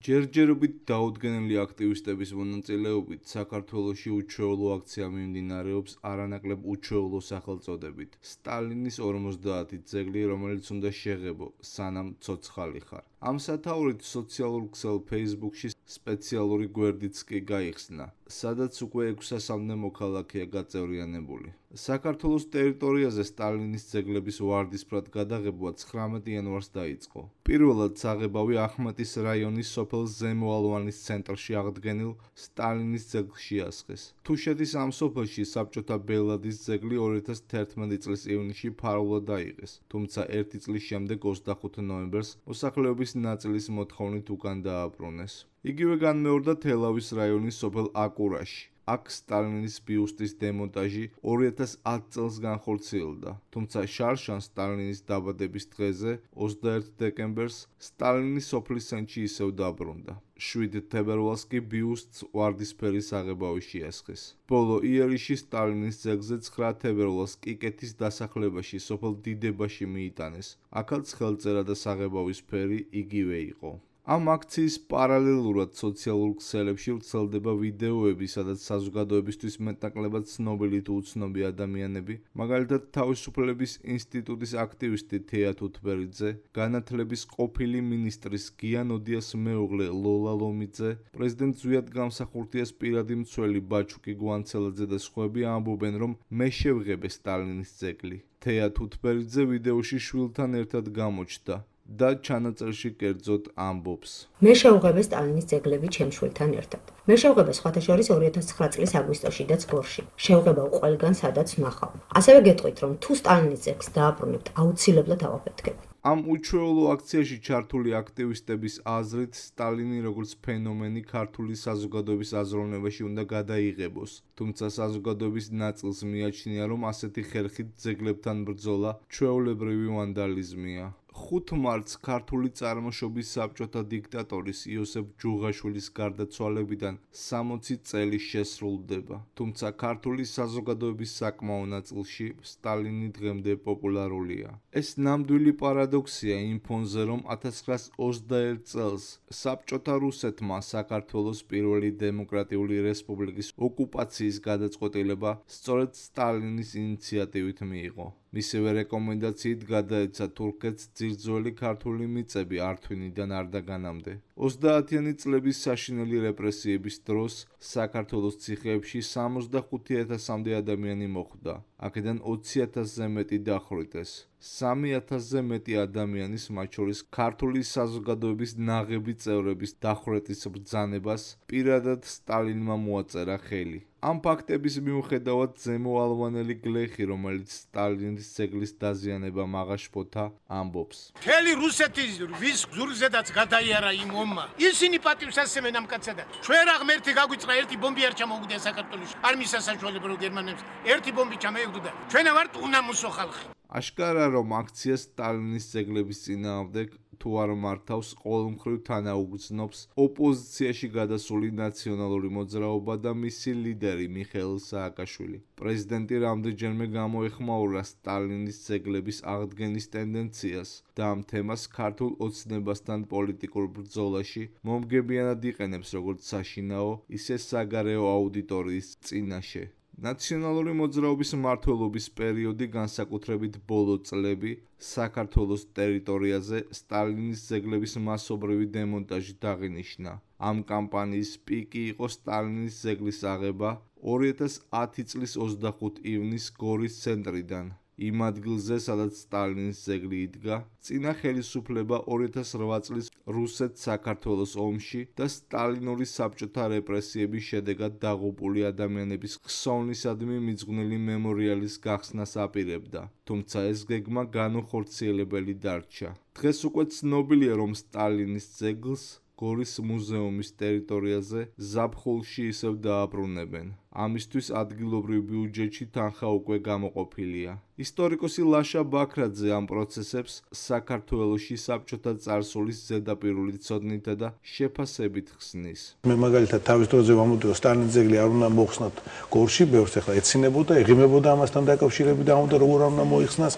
ჯერჯერობით დაუდგენელი აქტივისტების მონაწილეობით საქართველოში უჩვეულო აქცია მიმდინარეობს არანაკლებ უჩვეულო სახელწოდებით სტალინის 50 ძეგლი, რომელიც უნდა შეღებო, სანამ ცოცხალი ხარ. Ამ სათაურით სოციალურ ქსელ Facebook-ში სპეციალური გვერდიც კი გაიხსნა, სადაც უკვე 600-მდე მოქალაქეა გაწევრიანებული. საქართველოს ტერიტორიაზე სტალინის ძეგლების ვარდისფრად გადაღებვა 19 იანვარს დაიწყო. პირველად საღებავი ახმეტის რაიონის სოფელ ზემო ალვანის ცენტრში აღდგენილ სტალინის ძეგლში ასხეს. თუშეთის ამ სოფელში საბჭოთა ბელადის ძეგლი 2011 წლის ივნისში ფარულად აიღეს, თუმცა ერთი წლის შემდეგ 25 ნოემბერს მოსახლეობის ნაწილის მოთხოვნით უკან დააბრუნეს. იგივე განმეორდა თელავის რაიონის სოფელ აკურაში. აქ სტალინის ბიუსტის დემონტაჟი 2010 წელს განხორციელდა, თუმცა შარშან სტალინის დაბადების დღეზე 21 დეკემბერს სტალინის სოფლის ცენტრში ისევ დაბრუნდა. 7 თებერვალს კი ბიუსტს ვარდისფერი საღებავი შეასხეს. ბოლო იერიში სტალინის ძეგლზე 9 თებერვალს კიკეთის დასახლებაში სოფელ დიდებაში მიიტანეს. აქაც ხელწერა და საღებავის ფერი იგივე იყო. ამ აქციის პარალელურად სოციალურ ქსელებში ვრცელდება ვიდეოები, სადაც საზოგადოებისთვის მეტნაკლებად ცნობილი თუ უცნობი ადამიანები, მაგალითად თავისუფლების ინსტიტუტის აქტივისტი თეა თუთბერიძე, განათლების ყოფილი მინისტრის გიან ოდიას მეუღლე ლოლა ლომიძე, პრეზიდენტ ზვიად გამსახურდიას პირადი მცველი ბაჩუკი გვანცელაძე და სხვები ამბობენ, რომ მე შევღებე სტალინის ძეგლი. თეა თუთბერიძე ვიდეოში შვილთან ერთად გამოჩნდა და ჩანაწერში კერძოდ ამბობს. მე შევღებე სტალინის ძეგლები ჩემ შვილთან ერთად. მე შევღებე სხვათა შორის 2009 წლის აგვისტოში და წლებში. შევღებავ ყველგან, სადაც ვნახავ. ასევე გეტყვით, რომ თუ სტალინის ძეგლს დააბრუნებთ, აუცილებლად ავაფეთქებ. ამ უჩვეულო აქციაში ჩართული აქტივისტების აზრით სტალინი როგორც ფენომენი ქართული საზოგადოების აზროვნებაში უნდა გადაიღებოს, თუმცა საზოგადოების ნაწილს მიაჩნია, რომ ასეთი ხერხით ძეგლებთან ბრძოლა ჩვეულებრივი ვანდალიზმია. 5 მარტს ქართული წარმოშობის საბჭოთა დიქტატორის იოსებ ჯუღაშვილის გარდაცვალებიდან 60 წელი შესრულდება, თუმცა ქართული საზოგადოების საკმაო ნაწილში სტალინი დღემდე პოპულარულია. ეს ნამდვილი პარადოქსია იმ ფონზე, რომ 1921 წელს საბჭოთა რუსეთმა საქართველოს პირველი დემოკრატიული რესპუბლიკის ოკუპაციის გადაწყვეტილება სწორედ სტალინის ინიციატივით მიიღო. მისივე რეკომენდაციით გადაეცა თურქეთს ძირძველი ქართული მიწები ართვინიდან არდაგანამდე. 30-იანი წლების საშინელი რეპრესიების დროს საქართველოს ციხეებში 65,000-მდე ადამიანი მოხვდა. აქედან 20,000-ზე მეტი დახვრიტეს. 3,000-ზე მეტი ადამიანის, მათ შორის ქართული საზოგადოების ნაღები წევრების დახვრეტის ბრძანებას პირადად სტალინმა მოაწერა ხელი. ამ ფაქტების მიუხედავად ზემო ალვანელი გლეხი, რომელიც სტალინის ძეგლის დაზიანებამ აღაშფოთა, ამბობს. მთელი რუსეთის ვის გზურზედაც გადაიარა იმ ომმა. ისინი პატივს ასცემენ ამ კაცსა. ჩვენ რა ღმერთი გაგვიწყდა, ერთი ბომბი არ ჩამოუგდია საქართველოში. არ მის სასაშუალებლად რომ გერმანებს ერთი ბომბი ჩამოეგვდა. ჩვენ ვართ უნამუსო ხალხი. აშკარა რომ აქცია სტალინის ძეგლების წინააღმდეგ თუ არ მართავს, ყოველმხრივ თანაუგრძნობს ოპოზიციაში გადასული ნაციონალური მოძრაობა და მისი ლიდერი მიხეილ სააკაშვილი. პრეზიდენტი რამდენჯერმე გამოეხმაურა სტალინის ძეგლების აღდგენის ტენდენციას და ამ თემას ქართულ ოცნებასთან პოლიტიკურ ბრძოლაში მომგებიანად იყენებს როგორც საშინაო, ისე საგარეო აუდიტორიის წინაშე. ნაციონალური მოძრაობის მმართველობის პერიოდი, განსაკუთრებით ბოლო წლები, საქართველოს ტერიტორიაზე სტალინის ძეგლების მასობრივი დემონტაჟი აღინიშნა. ამ კამპანიის პიკი იყო სტალინის ძეგლის აღება 2010 წლის 25 ივნისს გორის ცენტრიდან. იმ ადგილზე, სადაც სტალინის ძეგლი იდგა, წინა ხელისუფლება 2008 წლის რუსეთ-საქართველოს ომში და სტალინური საბჭოთა რეპრესიების შედეგად დაღუპული ადამიანების ხსოვნისადმი მიძღვნილი მემორიალის გახსნას აპირებდა, თუმცა ეს გეგმა განუხორციელებელი დარჩა. დღეს უკვე ცნობილია, რომ სტალინის ძეგლს გორის მუზეუმის ტერიტორიაზე ზაფხულში ისევ დააბრუნებენ. ამისთვის ადგილობრივ ბიუჯეტში თანხა უკვე გამოყოფილია. ისტორიკოსი ლაშა ბაქრაძე ამ პროცესებს საქართველოში საბჭოთა წარსულის ზედაპირული ცოდნითა და შეფასებით ხსნის. მე მაგალითად თავის დროზე ვამბობდი, რომ სტალინის ძეგლი არ უნდა მოხსნათ გორში, ბევრს ახლა ეცინებოდა, ეღიმებოდა ამასთან დაკავშირებით და უნდა როგორ არ უნდა მოიხსნას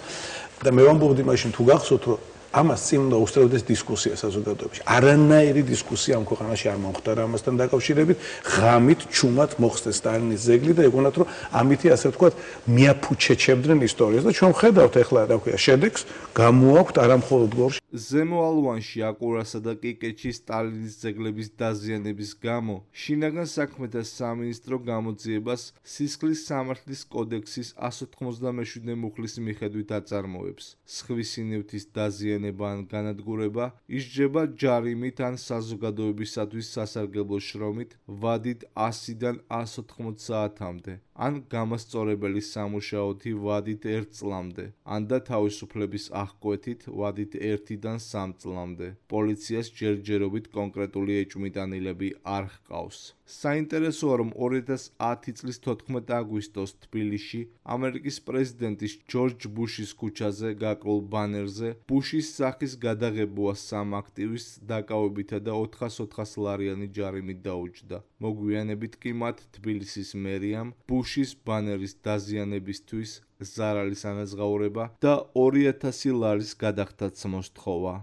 და მე ვამბობდი მაშინ თუ გახსოვთ, რომ ამას წინ უნდა უსწრებდეს დისკუსია საზოგადოებაში. არანაირი დისკუსია ამ ქვეყანაში არ მომხდარა ამასთან დაკავშირებით. ღამით, ჩუმად მოხსნეს სტალინის ძეგლი და ეგონათ რომ ამითი ასე ვთქვათ მიაფუჩეჩებდნენ ისტორიას და ჩვენ ხედავთ ახლა რა ქვია შედეგს გამოაქვთ არამხოლოდ გორში. ზემო ალვანში აკურასა და კიკეთში სტალინის ძეგლების დაზიანების გამო შინაგან საქმეთა სამინისტრო გამოძიებას სისხლის სამართლის კოდექსის 197 მუხლის მიხედვით აწარმოებს. სხვისი ნივთის დაზიანება ან განადგურება ისჯება ჯარიმით ან საზოგადოებისათვის სასარგებლო შრომით ვადით 100-დან 180 საათამდე, ან გამასწორებელი სამუშაოთი ვადით 1 წლამდე, ან და თავისუფლების აღკვეთით ვადით 1-დან 3 წლამდე. პოლიციას ჯერჯერობით კონკრეტული ეჭვმიტანილები არ ჰყავს. საინტერესოა, რომ 2010 წლის 14 აგვისტოს თბილისში ამერიკის პრეზიდენტის ჯორჯ ბუშის ქუჩაზე გაკრულ ბანერზე ბუშის სახის გადაღებუა 3 აქტივისტს დაკავებითა და 400 ლარიანი ჯარიმით დაუჯდა. მოგვიანებით კი მათ თბილისის მერიამ ბუშის ბანერის დაზიანებისთვის ზარალის ანაზღაურება და 2000 ლარის გადახდაც მოსთხოვა.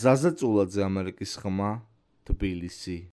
ზაზა წულაძე, ამერიკის ხმა, თბილისი.